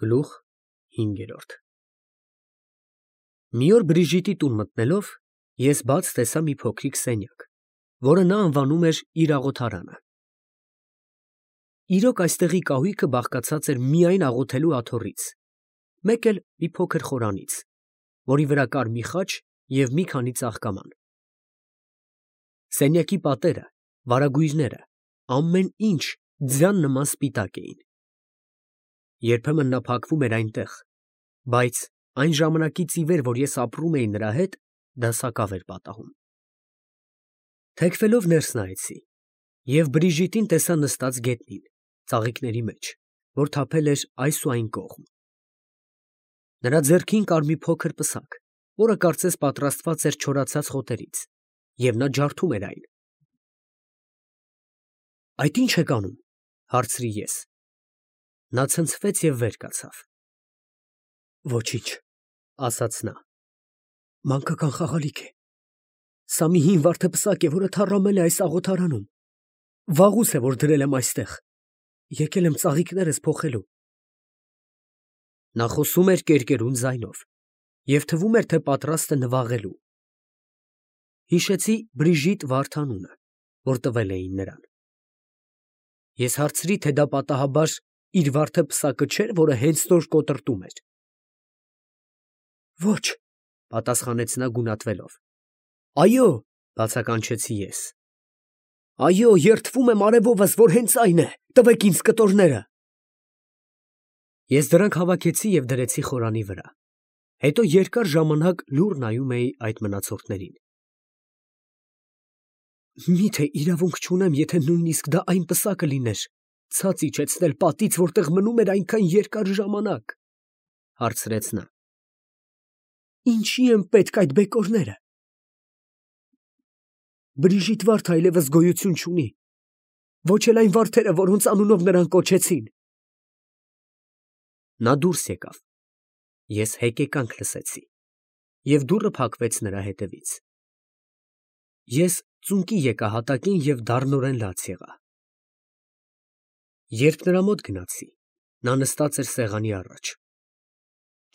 Գլուխ 5 Մի օր Բրիժիտի տուն մտնելով, ես բաց տեսա մի փոքրիկ սենյակ, որը նա անվանում էր իր աղոթարանը։ Իրոք այստեղի կահույքը բաղկացած էր միայն աղոթելու աթոռից, մեկ էլ մի փոքր խորանից, որի վրա կար մի խաչ և մի քանի ծաղկաման։ Սենյակի պատերը, վարագույրները, ամեն ինչ ձյան նման սպիտակ էին։ Երբեմն նա փակվում էր այնտեղ, բայց այն ժամանակից ի վեր, որ ես ապրում էի նրա հետ, դա սակավ էր պատահում։ Թեքվելով ներս նայեցի և Բրիժիտին տեսա նստած գետնին, ծաղիկների մեջ, որ թափել էր այս ու այն կողմ։ Նրա ձեռքին կար մի փոքր պսակ, որը կարծես պատրաստված էր չորացած խոտերից, և նա ջարդում էր այն։ «Այդ ի՞նչ եք անում», հարցրի ես։ Նա ցնցվեց և վեր կացավ։ «Ոչինչ», ասաց նա, «մանկական խաղալիք է։ Սա մի հին վարդեպսակ է, որը թառամել է այս աղոթարանում։ Վաղուց է, որ դրել եմ այստեղ, եկել եմ ծաղիկներս փոխելու»։ Նա խոսում էր կերկերուն ձայնով և թվում էր, թե պատրաստ է նվաղելու։ Հիշեցի Բրիժիտ վարդ անունը, որ տվել էին նրան։ Ես հարցրի, թե դա պատահաբար իր վարդեպսակը չէր, որը հենց նոր կոտրտում էր։ «Ոչ», պատասխանեց նա գունատվելով։ «Այո», բացականչեցի ես։ «Այո, երդվում եմ արևովս, որ հենց այն է, տվեք ինձ կտորները»։ Ես դրանք հավաքեցի և դրեցի խորանի վրա, հետո երկար ժամանակ լուռ նայում էի այդ մնացորդներին։ «Մի՞թե իրավունք չունեմ, եթե նույնիսկ դա այն պսակը լիներ, ցած իջեցնել պատից, որտեղ մնում էր այնքան երկար ժամանակ», հարցրեց նա։ «Ինչի են պետք այդ բեկորները։ Բրիժիտ վարդը այլևս գոյություն չունի, ոչ էլ այն վարդերը, որոնց անունով նրան կոչեցին»։ Նա դուրս եկավ, ես հեկեկանք լսեցի, և դուռը փակվեց նրա հետևից։ Ես ծունկի եկա հատակին և դառնորեն լաց եղա։ Երբ նրա մոտ գնացի, նա նստած էր սեղանի առաջ։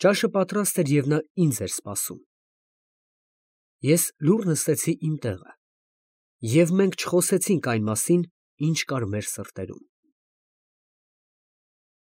Ճաշը պատրաստ էր և նա ինձ էր սպասում։ Ես լուռ նստեցի իմ տեղը, և մենք չխոսեցինք այն մասին, ինչ կար մեր սրտերում։